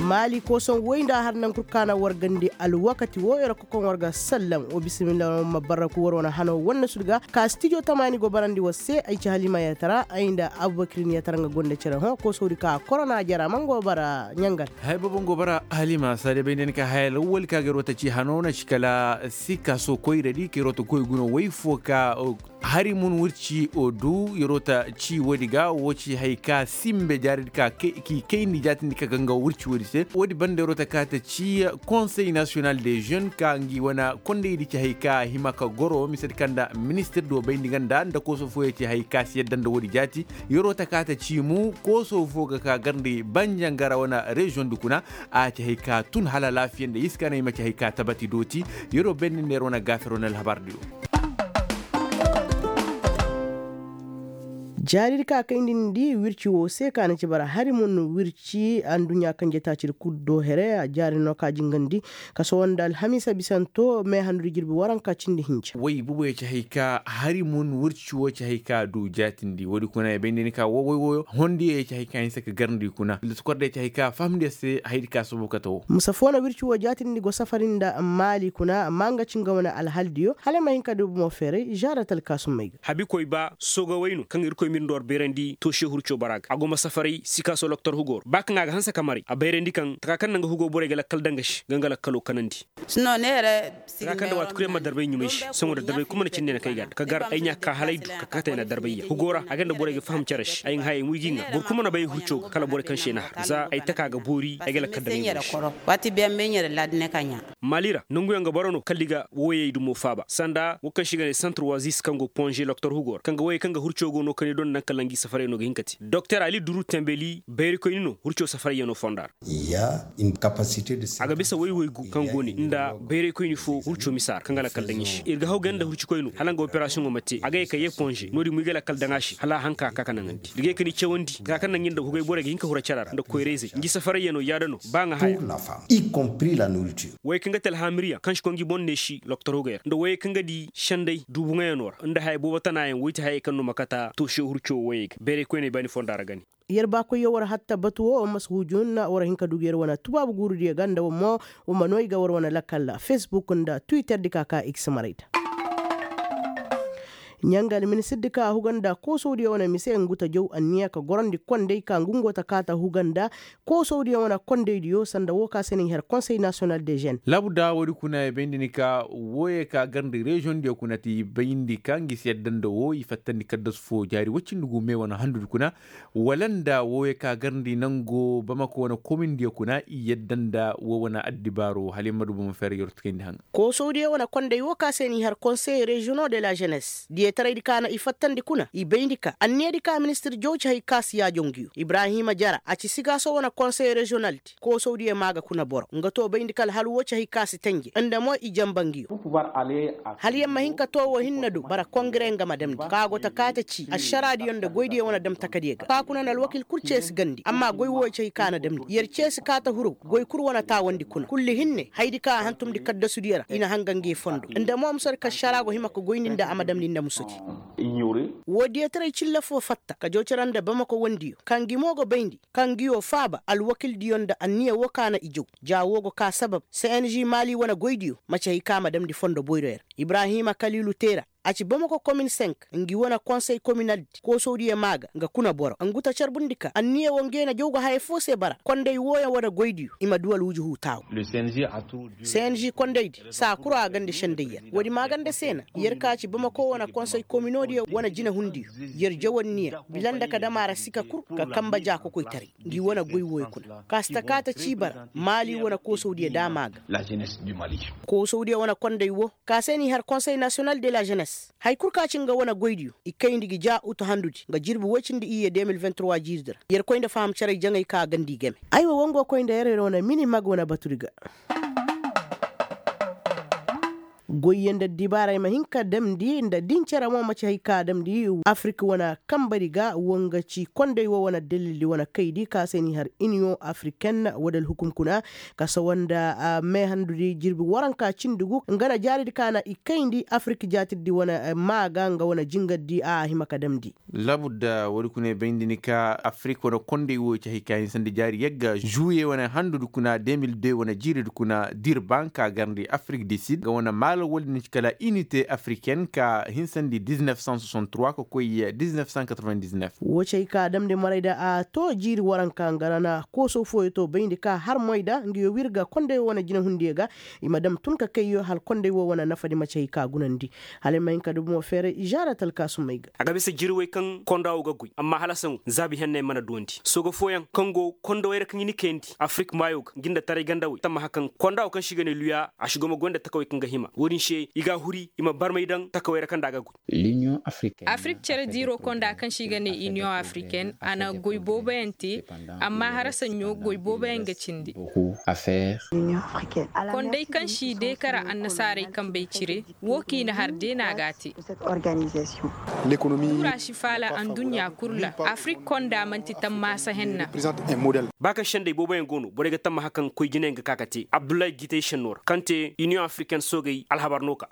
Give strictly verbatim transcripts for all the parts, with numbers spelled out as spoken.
Maali kooson woy nda a har naŋ kul kaana war gandi alwakati wo yer ga kokoŋ war ga sallam wo bisimilla war ma barraku war wane hano wanne sud ga ka stijo tamaani go barandi war se ay ci halima yatara ay nda abubakir ni yatara nga gonda cere hõ koosowdi ka korona jara man go bara ɲangal. Hay boobo nga go bara halima saade bay nda ni ka haya lawwali ka ga yer wo ta ci hano na ci kala sikka so koyradi ka yer wo ta goy guno woy fo ka hari mun wirci o du yeroo ta ci woodi ga woo ci hay ka simbe jaaridi ka k'i kayndi jaatindi ka ganga wirci woodi se woodi banda yeroo ta kaa ta ci konsey nasiyonal de jeune ka ngi wane kondaydi ci hay ka hima ka goro misedi kaŋ nda ministir do bayndi nga nda nda kooso fooyoo ci hay ka si yadda nda woodi jaati. Yeroo ta kaa ta ci mu kooso foo ga ka garndi banjangara wane reziyoŋ di kuna a ci hay ka tun hala alaafiya nda i si ka na i ma ci hay ka tabati dooti. Yeroo bayndi nda yer wane gaafiroo na alhabar diyo. Jaaridi ka kayndi ni di wirci woo se ka na ci bara hari mun wirci anduɲɲa kanjetaacidi kul do here a jaari no ka jingandi ka sohõ nda alhamiisa bisanto me handu di jirbi waranka cindi hinja. Way buboyo ci hay ka hari mun wirci woo ci hay ka du jaatindi woodi kuna ya bay nda ni ka woo way wooyo hondiyo ya ci hay ka hinsa ka garndi kuna lati kordey ci hay ka fahamndi ya se haydi ka sohõ kate woo. Musa foo na wirci woo jaatindi go safari nda maali kuna amma nga ci nga wane alhaldiyo hala ay ma hin ka du bomo feeray žaara talkaasum may ga. Habikoy ba soogawey no kaŋ irkoy mirndi war bayrandi tooshe hurco bara ga a go ma safaray sikaasoo loktor hugoor ba kaŋ a ga hanse ka maray a bayrandi kaŋ taka kaŋ na nga hugoo borey ga lakkal daŋ ga se ga nga lakkaloo kanandi. Taka kaŋ nda waati kul yaŋ ma darbay ɲumay se sohõ nda darbay kul mana cindi na kay ga nda ka gar ay ɲaa ka kaa hala ay du ka kate ay na darbay yaŋ hugoo ra a ga nda borey ga faham cere se ay ga hayey mo i g'i ŋaa boro kul mana bay hurco ga kala borey kaŋ se ay na har za ay taka ga boori ay ga lakkal daŋ ay ɲumay se. Maali ra nanguyaŋ ga boro no kala i ga woyey dumo faaba sanda wo kaŋ se i ga ne santar wazis kaŋ go ponze loktor hugo ra kaŋ ga woyey kaŋ ga hurco go no kani donda naŋ kala ngi safarey no ga hin ka te doktor ali duru tembeli bayrikoyni no hurco safarey yaŋ no fonda ra. A ga bisa woy woy gu kaŋ go ne nda bayraykoyni fo hurco misa ra kaŋ ga lakkal daŋ i se ir ga haw ganda hurcikoyno hala nga operasiyoŋo ma te a ga ye ka ye ponze no-din mo i ga lakkal daŋ a se hala a hanka ka ka naŋandi ir ga ye ka ni cawandi taka kaŋ naŋ ir nda hugay borey ga hin ka hura care ra nda koyra-izey ngi safarayyaŋo yaada no ba nga haya. Woy kaŋ ga te alhaamiriyaŋ kaŋ si koy ngi boŋ neesi loktor hugay ra nda woyey kaŋ ga di senday duubuŋoyaŋo ra nda haya boobo tanaayaŋ woy ti hayey kaŋ no ma kata toosiyo hurco woyey ga bayray koyney baani fonda ra ga ne. Yer baakoyyo war hatta batu wo war ma si huujun war hin ka du ga yer wane tubaabu guurudiyo ga nda war mo war ma no i ga war wane lakkal facebook nda twitter di ka ka i ga si maray da. Ɲangal ministirdi ka huga nda koosowdiyo wane mise ngu ta jaw anniya ka gorandi kondey ka ngu ngo ta kaa ta huga nda koosowdiyo wane kondeydiyo sanda wo ka se no i har konsey nasiyonal de žen. Laabu da woodi kuna ya bayndi ni ka wooyey ka garndi reziyoŋdiyo kuna ti bayndi ka ngi si yadda nda woo i fattandi kaddasu foo jaari woy cindi gu me wane handudi kuna wala nda wooyey ka garndi nango bamako wane komindiyo kuna i yadda nda woo wane addibaaro hala i ma du bomo feeray yer tukayndi haŋa. Koosowdiyo wane kondey woo ka se no i har konsey reziyoŋo de la ženes diyetaraydi ka na i fattandi kuna i bayndi ka anniyadi ka ministir jaw ci hay ka si yaajo nguyo ibrahima jara a ci sigaaso wane konsey reziyonaldi koosowdiyo maa ga kuna boro nga too bayndi ka alhalu woo ci hay ka si tenje nda mo i janba nguyo. Hala yer ma hin ka too woo hinne do bara kongire nga ma damndi ka go ta kaa ta ci ašaraadiyo nda goydiyo wane dam takadiyo ga ka kuna na alwakil kul ceesi gandi amma goy wooyo ci hay ka na damndi yer ceesi kaa ta huru goy kul wane taawandi kuna kulli hinne hayadi ka a hantumndi kaddasudiyo ra i na hanga nge fondo nda mo musadi ka ašaraa go hima ka goyndi nda a ma damndi nda musudi. Woo diyataray cilla foo fatta ka jaw cere nda bamako wandiyo ka ngi mo go bayndi ka ngi woo faaba alwakildiyo nda anniya woo ka na i jaw ja woo go kaa sabab cng maali wane goydiyo maci hay ka a ma damndi fondo boyroyo ra ibrahima kaliilu teera a ci bamako komin senk ngi wane konsey kominaldi koosowdiyo maa ga nga kuna boro ngu ta carbundi ka anniya woo nge na jaw ga haya foo se bara konday wooyaŋ wane goydiyo i ma duu alwujuhu taawu. Cng kondaydi saa kul a ganda sendayyaŋ woodi maaganda se na yer ka ci bamako wane konsey kominoodiyo wane jinehundiyo yer jaw anniya bila nda ka dam a ra sika kul ka kanba jaakokoytaray ngi wane goy wooyo kuna ka si ta kaa ta cii bara maali wane koosowdiyo daama ga. Koosowdiyo wane konday woo ka se no i har konsey nasiyonal de la ženes haya kul ka ci nga wane goydiyo i kayndi gi ja utu handudi nga jirbi woy cindi iyye de mil vingt trois jiiridi ra yer koy nda faham caray jaŋay ka a ganda i game. Aywa woo ngo koy nda yer yer wane mini mag wane batudi ga. Goyyaŋ nda dibaara ay ma hin ka damndi nda din cere mo ma ci hay ka damndi afirik wane kambari ga woo nga ci kondey woo wane dalildi wane kaydi ka se ni har iniyoŋ afiriken woo da alhukum kuna ka sawa nda meehandudi jirbi waranka cindi gu nga na jaaridi ka na i kayndi afirik jaatirdi wane maa ga nga wane jingardi a hima ka damndi. Labudda woodi kuna ay bayndi ni ka afirik wane kondey woo ci hay ka hinsandi jaari yagga žuwiye wane handudi kuna de mil de wane jiiridi kuna dirban ka garndi afirik di sid nga wane maala woodi ni ci kala inite afiriken ka hinsandi diznef san soixante trois ka koy diznef san quatre vingt diznef. Woo ci hay ka damndi maray da a too jiiri waranka nga ra na kooso fooyo too bayndi ka har moy da nga yoo wirga kondey woo wane jinahundiyo ga i ma dam tun ka kayyo hala kondey woo wane nafadi ma ci hay ka gunandi. Hala ay ma hin ka dubu mo feeray i žaara talkaasumey ga. A ga bisa jirwey kaŋ konda woo ga goy amma hala saŋo zaabi henney mana duwandi sooga fooyaŋ kaŋ go konda wey ra kaŋ i ni kayandi afirik maayo ga ngi nda taray ganda wey tammaha kaŋ konda woo kaŋ se i ga ne luya a si go ma goy nda takawey kaŋ ga hima woodin se i ga a huri i ma barmay daŋ takawey ra kaŋ nda a ga goy. Afirik cere diiro konda kaŋ se i ga ne iniyoŋ afiriken a na goy booboyaŋ te. Amma harasaɲo goy booboyaŋ ga cindi. Kondey kaŋ si deekara annasaarey kambey cire woo kaŋ i na har deena ga a te. Tuura si faala anduɲɲa kul ra afirik konda man'ti tammaasa henna. Ba kaŋ sendey booboyaŋ go no borey ga tammaha kaŋ koy jinayaŋ ga ka ka te abdullahi gitey senno ra kaŋ te iniyoŋ afiriken soogey alhabar no ka.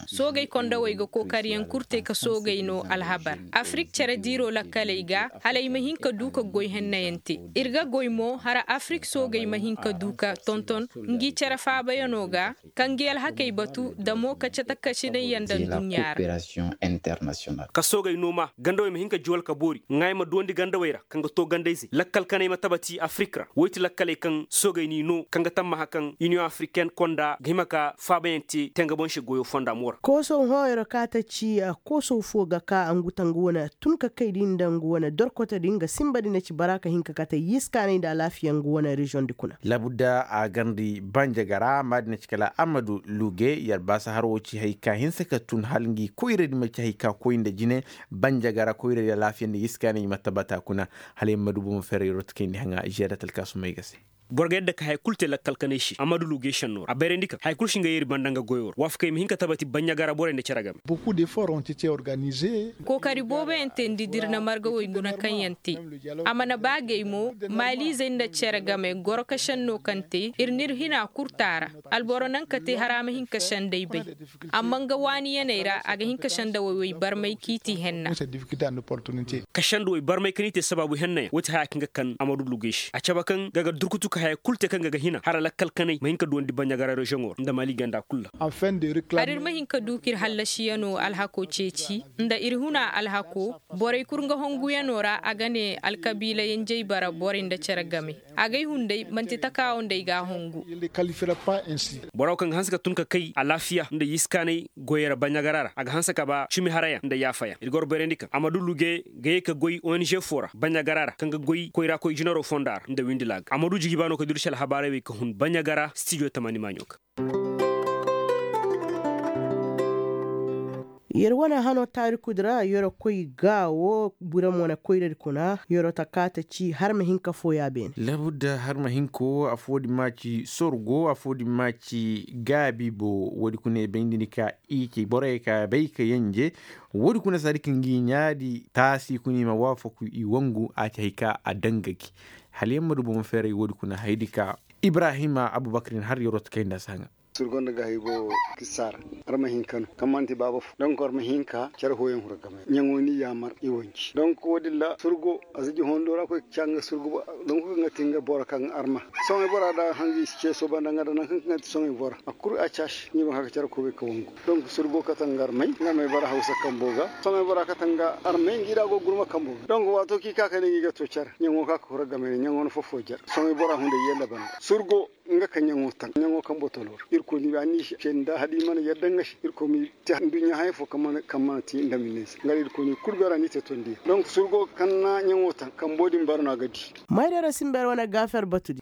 Soogey kondawey ga kookariyaŋ kul te ka soogey no alhabar afirik cere diiro lakkaley ga hala ay ma hin ka du ka goy hennayaŋ te. Ir ga goy mo hara afirik soogey ma hin ka du ka tonton ngi cere faabayaŋo ga ka ngi alhakey batu da mo ka cata kasinayyaŋ nda nduɲɲa ra. Ka soogey nooma gandawey ma hin ka juwal ka boori ŋaay ma duwandi gandawey ra kaŋ ga too gandayzey lakkal kaney ma tabati afirik ra woy ti lakkaley kaŋ soogey n'i noo kaŋ ga tammaha kaŋ iniyoŋ afiriken konda ga hima ka faabayaŋ te te nga boŋ se goyo fonda mo ra. Koosow hooyoro ka ta ci koosow foo ga ka ngu ta ngu wane tun ka kay di nda ngu wane dorkoto di nga sinba di na ci bara ka hin ka kate yiskaanay nda alaafiya ngu wane reziyoŋ di kuna. Labudda a garndi banjagara maadi na ci kala amadu luge yer baasa har wo ci hay ka hinsa ka tun hala ngi koyradi ma ci hay ka koy nda jine. Banjagara koyradi alaafiya nda yiskaanay i ma tabata kuna. Hala yer ma du bomo ferre yer wo ta kayndi haŋa ziyaada talkaasumey ga se. Boro ga yadda ka haya kulu te lakkal kanay se amadu luge senno ra a bayrandi ka haya kulu si nga yeeri banda nga goyo ra waafakey ma hin ka tabati banjagara borey nda cere game. Kookari booboyaŋ teendi da ir na margawey guna kaŋ yaŋ te. A mana ba gay mo maaliizey nda cere game goro ka senno kaŋ te ir n'ir hina kul taara. Alboro naŋ ka te hara ma hin ka sendey bay. Amma nga waaniyaney ra a ga hin ka sendawey wey barmay kaŋ i ti henna. Ka sendawey barmay kaŋ i te sabaabu henna yaŋ wo ti haya kaŋ ga kan amadu lugey se a cabe kaŋ ga ga durkutu ka haya kulu te kaŋ ga ga hina hala lakkal kanay ma hin ka duwandi baɲagara reziyoŋo ra nda maali ganda kulu ra. Hala ir ma hin ka du ka ir hallasiyano alhako ceeci nda ir huna alhako. Borey kul nga honguyanoo ra a ga ne alkabiila yenjey bara borey nda cere game. Agay hunday man'ti takaawo nda ay g'a hongu. Boro kaŋ ga hanse ka tun ka kay alaafiya nda yiskaanay goyey ra baɲagara ra a ga hanse ka ba cimi harayaŋ nda yaafayaŋ ir ga war bayrandi kaŋ amadu luge ga ye ka goy ong foo ra baɲagara ra kaŋ ga goy koyra koy jinaro fonda ra nda windi laaga amadu jiji ba no ka duru si alhabaarey wey ka hun baɲagara stijo tamaani maaɲo ga. Yer wane hano taarikudi ra yer koy ga wo bura mo na koyradi kuna yer ta kaata ci har ma hinka fooya beene. Labudda har ma hinka wo afoo din ma ci sorgo afoo din ma ci gaabi bo woodi kuna i bay nda ni ka i ci borey ka bay ka yanje. Woodi kuna saadi ka ngi ɲaadi taasi kuna i ma waafaku i wangu a ci hay ka a daŋ ga gi. Hala yaŋ ma du bomo feeray woodi kuna hayadi ka ibrahima abubakar din har yer ta kay nda a si haŋa. Surgo nda gaahey go kisaara. Ar ma hin ka no kaŋ man'ti baaba fo donk ar ma hin ka care fooyaŋ huru game ɲaŋo ni yaamar i wanci donk wo- din ra surgo a si ji hondo ra koy ka ca nga surgo ba. Donk kaŋ ga ti nga boro kaŋ arma soŋay bora da hangi i si ce sooba nda nga da nangu kaŋ ga ti soŋay bora a kulu a caasi ni ma ka ga care koy bay ka wangu. Donk surgo kate nga armay nga armay bara hawsa kambo ga soŋay bora kate nga armay ngi da go gurma kambo ga donk waato kaŋ i ka ka ne ngi ga to care ɲaŋo ka ka huru game ne ɲaŋo na fofo jar soŋay bora hunday yee nda banda surgo. Nga ka ɲaŋo taŋ ɲaŋo kaŋ botolo ra irkoy ni ba ni se nda hala i mana yadda nga se irkoy ma i te nduɲɲa haya fo kaŋ mana te nda ma i ne se nga da irkoy ni kulu beera ni te tondiyaŋ donk surgo kaŋ na ɲaŋo taŋ kambo din bara no a ga di. Mayrara sinber wane gaafer batudi.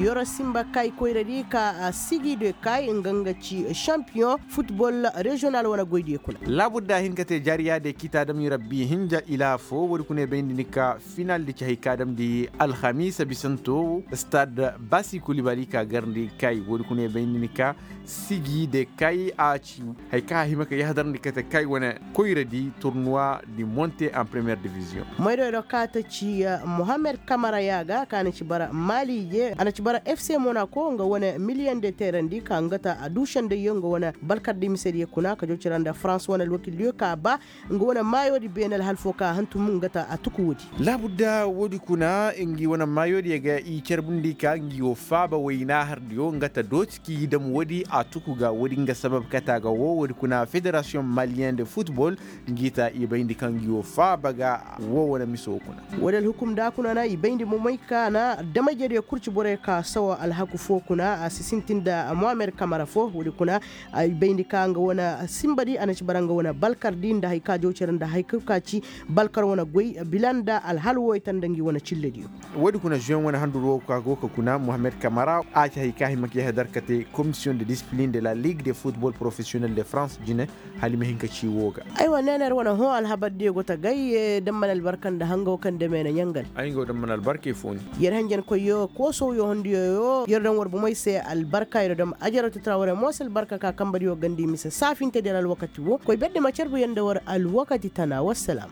Yoro simba kay koyradi ka sigi de kay nga nga ci champion futbol rezional wane goydiyo kuna. Laabudda hin ka te jaariya de kita dam i rabbi hinja ila fo woodi kuna i bayndi ni ka final di ci hari ka damndi alhamiisa bisanto stad basi kulibali ka garndi kay woodi kuna i bayndi ni ka sigi de kay a ci hari ka a hima ka yahdarndi kate kay wane koyradi turnuwa di monte en première division. Maydoydo ka ta ci mohammed kamara ya ga ka na ci bara maali je a na ci bara fc monako nga wane miliyan de teerandi ka nga ta a duu sendayyo nga wane balkardi misediyo kuna ka jow cira nda farans wane alwakildiyo ka ba nga wane maayoodi beene alhal fo ka hantum nga ta a tuku woodi. Laabudda woodi kuna ngi wane maayoodiyo ga i carbundi ka ngi wo faaba wayna hardiyo nga ta dooti k'i dam woodi a tuku ga woodi nga sabab kate a ga wo woodi kuna federasiyoŋ maliyen de futbol ngi ta i bayndi kaŋ ngi wo faaba ga wo wane miso kuna. Woodi alhukum da kuna na i bayndi momey ka na damay jediyo kurci borey ka sawa alhaku fo kuna a si sintin nda mohammed kamara fo woodi kuna. I bayndi ka nga wane simbadi a na ci bara nga wane balkardi nda hari ka jow cere nda hari ka ci balkar wane goy bila nda alhal woy ta nda ngi wane cillediyo. Woodi kuna zuwen wane handu ro ka go ka kuna mohammed kamara a ci hari ka hima ka yahadar kate komisiyoŋ de disipilin de la ligue de futbol porofesiyonel de farans jine. Hala i ma hin ka ci wo ga. Aywa neener wane hõ alhabardiyo go ta gay. Damman albarka nda hangaw kaŋ dame na ɲangal. Ay nga wo damman albarkey fo ni. Yer hanjankoyyo koosowyo hondiyo yo yer daŋ war bomey se albarka yer daŋ ajaratu tara warey mo se albarka ka kambadiyo gandi mise saafintediyo ra alwakati wo koy berdi ma carbu yer nda war alwakati tana wassalam.